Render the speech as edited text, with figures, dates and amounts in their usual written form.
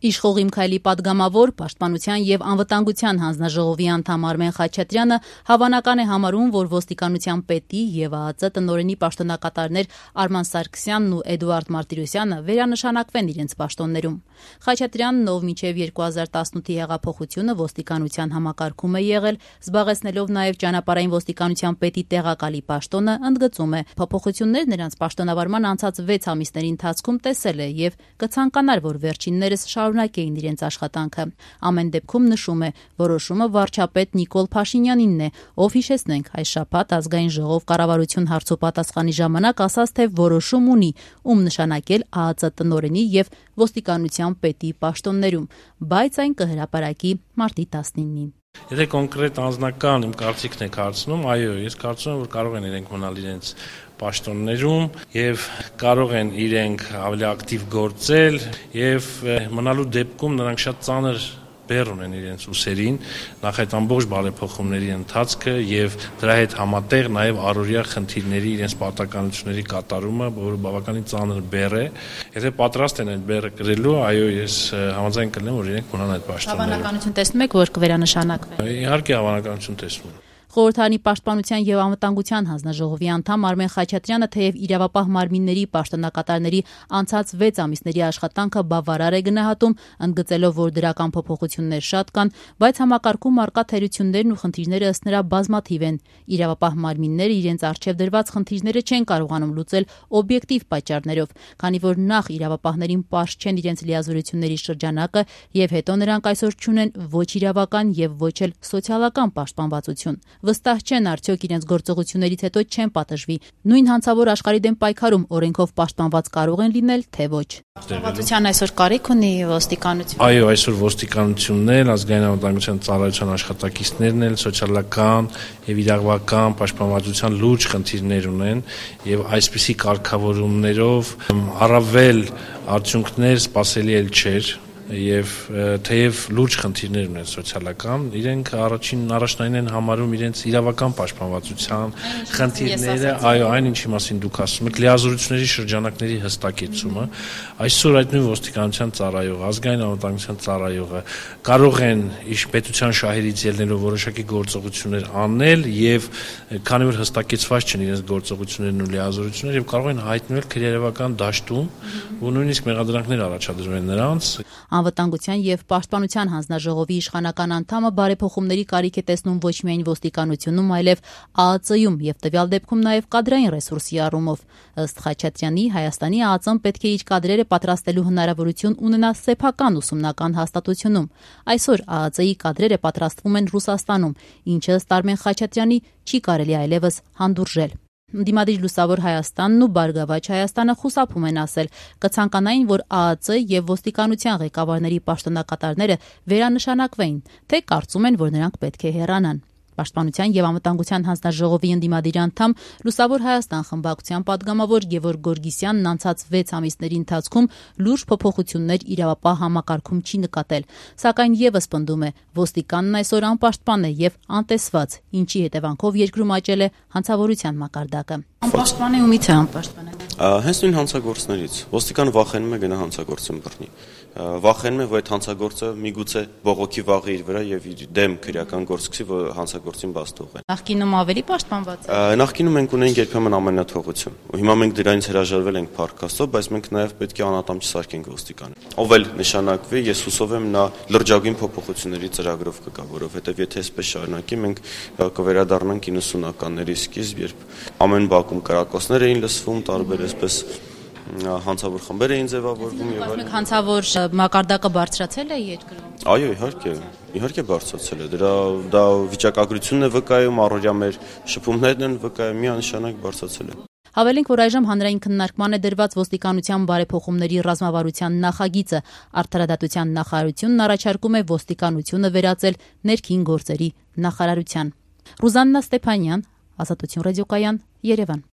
Իշխող Քայլի պատգամավոր, Պաշտպանության եւ անվտանգության հանձնաժողովի անդամ Արմեն Խաչատրյանը հավանական է համարում, որ ոստիկանության պետի եւ ԱԱԾ տնօրենի պաշտոնակատարներ Արման Սարգսյանն ու Էդուարդ Մարտիրոսյանը վերանշանակվեն իրենց պաշտոններում։ Խաչատրյանն, ով մինչեւ 2018-ի հեղափոխությունը ոստիկանության համակարգում է եղել, զբաղեցնելով նաեւ ճանապարհային ոստիկանության պետի տեղակալի պաշտոնը, ընդգծում է, փոփոխություններ նրանց պաշտոնավարման անցած 6 ամիսների ընթացքում տեսել է եւ կցանկանար, որ վերջիններս շարունակեին իրենց աշխատանքը։ Ամեն դեպքում նշում է, որոշումը վարչապետ Նիկոլ Փաշինյանինն է, ով հիշեցնենք այս շաբաթ ազգային ժողով կառավարություն հարցոպատասխանի ժամանակ ասաց, թե որոշում ունի, ում նշանակել ԱԱԾ տնօրենի եւ ոստիկանության պետի պաշտոններում, բայց այն կհրապարակի մարտի 19-ին։ Եթե կոնկրետ անձնական իմ կարծիքն եք հարցնում, այո, ես կարծում եմ, որ կարող են իրենք մնալ իրենց պաշտոններում եւ կարող են իրենք ավելի ակտիվ գործել եւ մնալու դեպքում նրանք շատ ծանր բեռ ունեն իրենց ուսերին, նախ այդ ամբողջ բարեփոխումների ընթացքը եւ դրա հետ համատեղ նաեւ առօրյա խնդիրների իրենց պարտականությունների կատարումը, որը բավականին ծանր բեռ է։ Եթե պատրաստ են այդ բեռը կրելու, այո, ես համաձայն կլինեմ, որ իրենք մնան այդ պաշտոններում։ Հավանականություն տեսնում եք, որ կվերանշանակվեն։ Իհարկե հավանականություն տեսնում եմ։ Խորհրդարանի պաշտպանության եւ անվտանգության հանձնաժողովի անդամ Արմեն Խաչատրյանը թեև իրավապահ մարմինների պաշտոնակատարների անցած 6 ամիսների աշխատանքը բավարար է գնահատում, ընդգծելով, որ դրական փոփոխություններ շատ կան, բայց համակարգում առկա թերություններն ու խնդիրները ըստ նրա բազմաթիվ են։ Իրավապահ մարմինները իրենց առջև դրված խնդիրները չեն կարողանում լուծել օբյեկտիվ պատճառներով, քանի որ նախ իրավապահներին պարզ չեն իրենց լիազորությունների շրջանակը եւ հետո նրանք այսօր չունեն ոչ իրավական եւ ոչ էլ սոցիալական պաշտպանվածություն։ Վստահ չեն արդյոք իրենց գործողություններից հետո չեն պատժվի։ Նույն հանցավոր աշխարհի դեմ պայքարում օրենքով պաշտպանված կարող են լինել, թե ոչ։ Պաշտպանվածության այսօր կարիք ունի ոստիկանությունը։ Այո, այսօր ոստիկանությունն էլ, ազգային անվտանգության ծառայության աշխատակիցներն էլ սոցիալական եւ իրավական պաշտպանվածության լուրջ խնդիրներ ունեն եւ այսպիսի կարգավորումներով առավել արդյունքներ սպասելի էլ չէր։ Եվ թեև լուրջ խնդիրներ ունեն սոցիալական, իրենք առաջնային են համարում իրենց իրավական պաշտպանվածության խնդիրները, այո, այն ինչի մասին դուք ասում եք, լիազորությունների շրջանակների հստակեցումը, այսօր այդ նույն ոստիկանության ծառայողը, ազգային անվտանգության ծառայողը կարող են պետության շահերից ելնելով որոշակի գործողություններ անել եւ քանի որ հստակեցված չեն իրենց գործողություններն ու լիազորությունները եւ կարող են հայտնվել քրեական դաշտում ու նույնիսկ մեղադրանքներ առաջադրվել նրանց։ Անվտանգության եւ պաշտպանության հանձնաժողովի իշխանական անդամը բարեփոխումների կարիք է տեսնում ոչ միայն ոստիկանությունում, այլև ԱԱԾ-ում եւ տվյալ դեպքում նաեւ կադրային ռեսուրսի առումով։ Ըստ Խաչատրյանի, Հայաստանի ԱԱԾ-ն պետք է իր կադրերը պատրաստելու հնարավորություն ունենա սեփական ուսումնական հաստատությունում։ Այսօր ԱԱԾ-ի կադրերը պատրաստվում են Ռուսաստանում, ինչը ըստ Արմեն Խաչատրյանի չի կարելի այլևս հանդուրժել։ Դիմադիր Լուսավոր Հայաստանն ու Բարգավաճ Հայաստանը խուսափում են ասել, կցանկանային, որ ԱԱԾ եւ ոստիկանության ղեկավարների պաշտոնակատարները վերանշանակվեին, թե կարծում են, որ նրանք պետք է հեռանան։ Պաշտպանության եւ անվտանգության հանձնաժողովի ընդդիմադիր անդամ Լուսավոր Հայաստան խմբակցության падգամավոր Գևորգ Գորգիսյանն անցած 6 ամիսների ընթացքում լուրջ փոփոխություններ իրավապահ համակարգում չի նկատել, սակայն եւս պնդում է, ոստիկանն այսօր անպաշտպան է եւ անտեսված, ինչի հետևանքով երկրում աճել է հանցավորության մակարդակը։ Անպաշտպան է ումից է անպաշտպան է։ Հենց նույն հանցագործներից ոստիկանը վախենում է գնա հանցագործին բռնի։ Վախենում է, որ այդ հանցագործը միգուցե բողոքի վաղի իր վրա եւ իր դեմ քրեական գործ սկսի, որ հանցագործին բաց թողեն։ Նախկինում ավելի պաշտպանված է։ Նախկինում մենք ունենք երբեմն ամենաթողություն։ Ու հիմա մենք դրանից հրաժարվել ենք փառք Աստծո, բայց մենք նաեւ պետք է անատամ չսարքենք ոստիկանին։ Ով էլ նշանակվի, ես հուսով եմ նա լրջագույն փոփոխությունների ծրագրով կգա, որովհետեւ եթե այսպես շարունակի, մենք կվերադառնանք 90-ականների սկիզբ, երբ ամեն բակում կրակոցներ էին լսվում, տարբեր այսպես հանցավոր խմբեր էին ձևավորվում եւ այլն։ Հանցավոր մակարդակը բարձրացել է երկրում։ Այո, իհարկե բարձրացել է։ Դա վիճակագրությունն է վկայում, առօրյա մեր շփումներն են վկայում, միանշանակ բարձրացել է։ Հավելենք, որ այժմ հանրային քննարկման է դրված ոստիկանության բարեփոխումների ռազմավարության նախագիծը։ Արդարադատության նախարարությունն առաջարկում է ոստիկանությունը վերածել ներքին գործերի նախարարության։ Ռուզաննա Ստեփանյան, Ազատություն ռադիոկայան, Երևան։